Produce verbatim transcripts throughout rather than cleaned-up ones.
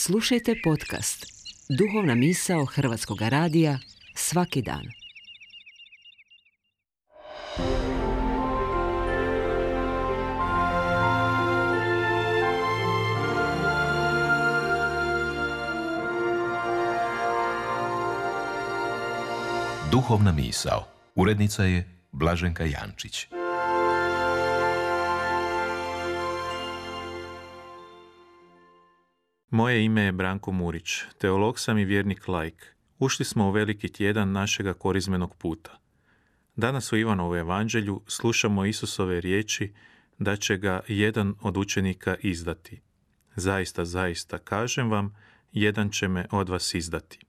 Slušajte podcast Duhovna misao Hrvatskog radija svaki dan. Duhovna misao. Urednica je Blaženka Jančić. Moje ime je Branko Murić, teolog sam i vjernik laik. Ušli smo u veliki tjedan našega korizmenog puta. Danas u Ivanovu evanđelju slušamo Isusove riječi da će ga jedan od učenika izdati. Zaista, zaista, kažem vam, jedan će me od vas izdati.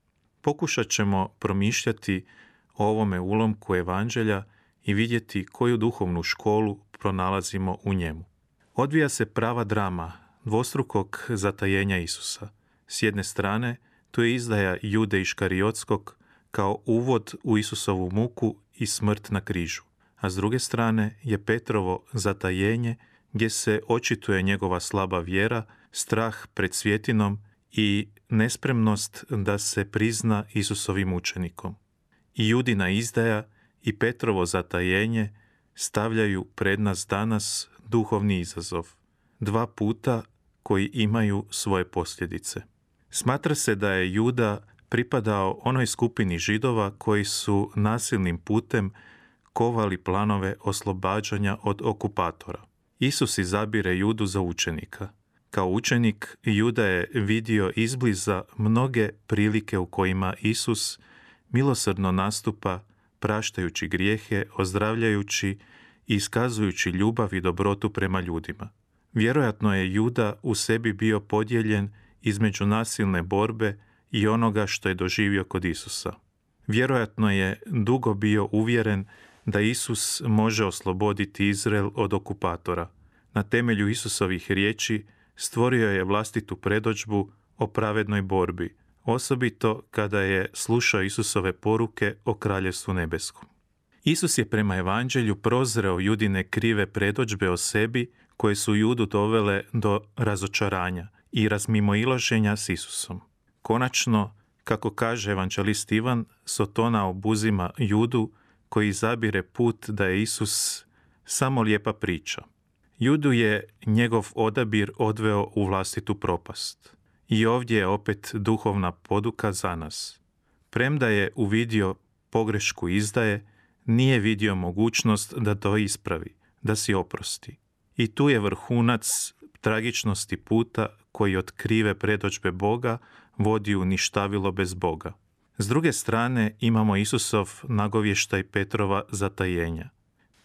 Pokušat ćemo promišljati o ovome ulomku evanđelja i vidjeti koju duhovnu školu pronalazimo u njemu. Odvija se prava drama dvostrukog zatajenja Isusa. S jedne strane, tu je izdaja Jude Iškariotskog kao uvod u Isusovu muku i smrt na križu, a s druge strane je Petrovo zatajenje gdje se očituje njegova slaba vjera, strah pred svjetinom i nespremnost da se prizna Isusovim učenikom. I Judina izdaja i Petrovo zatajenje stavljaju pred nas danas duhovni izazov. Dva puta koji imaju svoje posljedice. Smatra se da je Juda pripadao onoj skupini Židova koji su nasilnim putem kovali planove oslobađanja od okupatora. Isus izabire Judu za učenika. Kao učenik, Juda je vidio izbliza mnoge prilike u kojima Isus milosrdno nastupa praštajući grijehe, ozdravljajući i iskazujući ljubav i dobrotu prema ljudima. Vjerojatno je Juda u sebi bio podijeljen između nasilne borbe i onoga što je doživio kod Isusa. Vjerojatno je dugo bio uvjeren da Isus može osloboditi Izrael od okupatora. Na temelju Isusovih riječi stvorio je vlastitu predodžbu o pravednoj borbi, osobito kada je slušao Isusove poruke o Kraljevstvu nebeskom. Isus je prema evanđelju prozreo Judine krive predodžbe o sebi koje su Judu dovele do razočaranja i razmimoilaženja s Isusom. Konačno, kako kaže evanđelist Ivan, Sotona obuzima Judu koji izabire put da je Isus samo lijepa priča. Judu je njegov odabir odveo u vlastitu propast. I ovdje je opet duhovna poduka za nas. Premda je uvidio pogrešku izdaje, nije vidio mogućnost da to ispravi, da si oprosti. I tu je vrhunac tragičnosti puta koji od krive predodžbe Boga vodi u ništavilo bez Boga. S druge strane imamo Isusov nagovještaj Petrova zatajenja.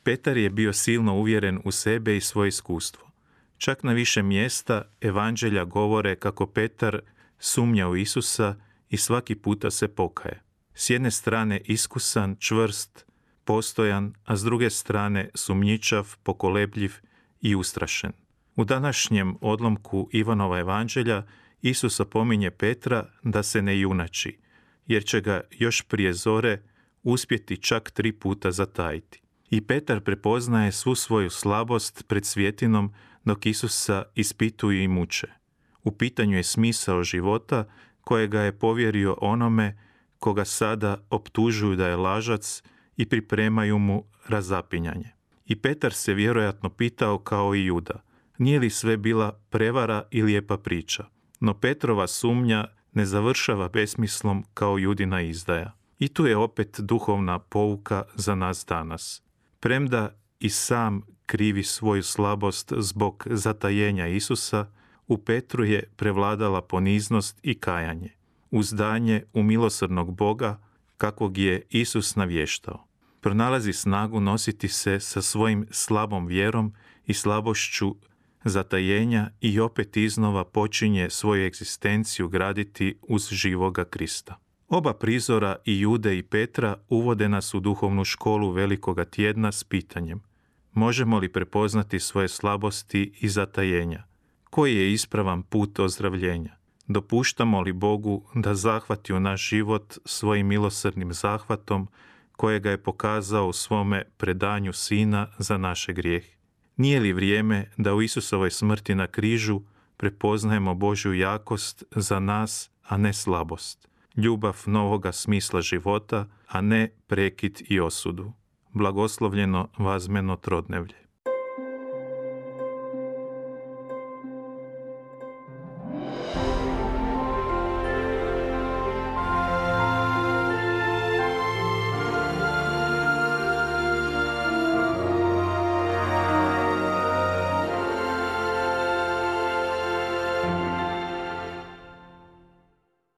Petar je bio silno uvjeren u sebe i svoje iskustvo. Čak na više mjesta evanđelja govore kako Petar sumnja u Isusa i svaki puta se pokaje. S jedne strane iskusan, čvrst, postojan, a s druge strane sumnjičav, pokolebljiv i ustrašen. U današnjem odlomku Ivanova evanđelja Isus opominje Petra da se ne junači, jer će ga još prije zore uspjeti čak tri puta zatajiti. I Petar prepoznaje svu svoju slabost pred svjetinom dok Isusa ispituju i muče. U pitanju je smisao života kojega je povjerio onome koga sada optužuju da je lažac i pripremaju mu razapinjanje. I Petar se vjerojatno pitao kao i Juda, nije li sve bila prevara i lijepa priča? No Petrova sumnja ne završava besmislom kao Judina izdaja. I tu je opet duhovna pouka za nas danas. Premda i sam krivi svoju slabost zbog zatajenja Isusa, u Petru je prevladala poniznost i kajanje, uzdanje u milosrdnog Boga kakvog je Isus navještao. Pronalazi snagu nositi se sa svojim slabom vjerom i slabošću zatajenja i opet iznova počinje svoju egzistenciju graditi uz živoga Krista. Oba prizora, i Jude i Petra, uvode nas u duhovnu školu velikoga tjedna s pitanjem: možemo li prepoznati svoje slabosti i zatajenja? Koji je ispravan put ozdravljenja? Dopuštamo li Bogu da zahvati u naš život svojim milosrdnim zahvatom kojega je pokazao u svome predanju Sina za naše grijehe? Nije li vrijeme da u Isusovoj smrti na križu prepoznajemo Božju jakost za nas, a ne slabost. Ljubav novoga smisla života, a ne prekid i osudu. Blagoslovljeno vazmeno trodnevlje.